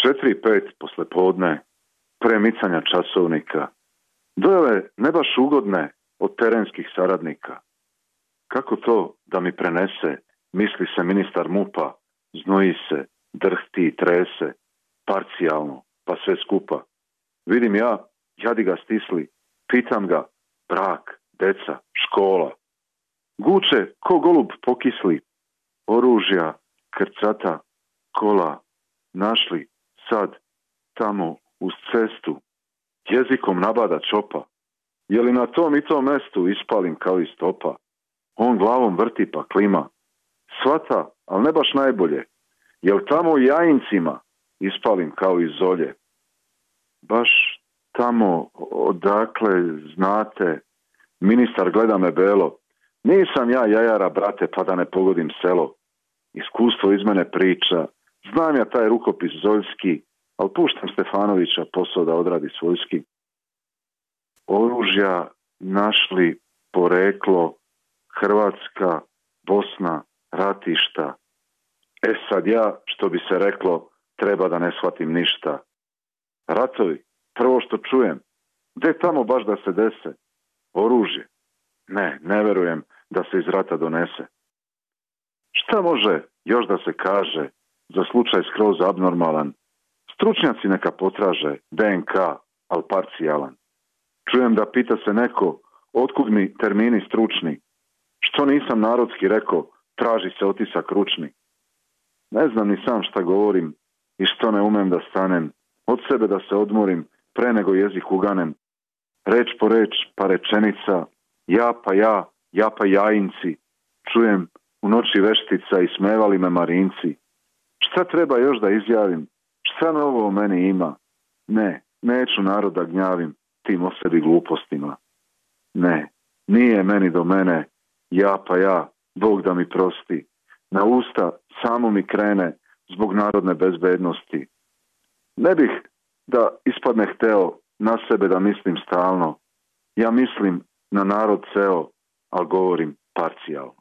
4-5 poslepodne, premicanja časovnika, dojave ne baš ugodne od terenskih saradnika. Kako to da mi prenese, misli se ministar MUP-a, znoji se, drhti i trese, parcijalno, pa sve skupa. Vidim ja, jadi ga stisli, pitam ga, brak, deca, škola. Guče ko golub pokisli, oružja, krcata, kola, našli sad, tamo, uz cestu, jezikom nabada čopa. Je li na tom i tom mestu ispalim kao iz topa? On glavom vrti pa klima. Svata, ali ne baš najbolje. Jel tamo u Jajincima ispalim kao iz zolje? Baš tamo odakle znate, ministar gleda me belo. Nisam ja jajara, brate, pa da ne pogodim selo. Iskustvo iz mene priča. Znam ja taj rukopis zoljski, ali puštam Stefanovića posao da odradi svojski. Oružja našli poreklo Hrvatska, Bosna, ratišta. Sad ja, što bi se reklo, treba da ne shvatim ništa. Ratovi, prvo što čujem, gde tamo baš da se dese? Oružje. Ne verujem da se iz rata donese. Šta može još da se kaže za slučaj skroz abnormalan? Stručnjaci neka potraže DNK, ali parcijalan. Čujem da pita se neko, otkud mi termini stručni? Što nisam narodski rekao, traži se otisak ručni. Ne znam ni sam šta govorim i što ne umem da stanem. Od sebe da se odmorim, pre nego jezik uganem. Reč po reč, pa rečenica, ja pa Jajinci. Čujem u noći veštica i smevali me Marinci. Šta treba još da izjavim? Šta novo o meni ima? Neću narod da gnjavim tim o sebi glupostima. Nije meni do mene, ja, Bog da mi prosti. Na usta samo mi krene zbog narodne bezbednosti. Ne bih da ispadne hteo na sebe da mislim stalno. Ja mislim na narod ceo, ali govorim parcijalno.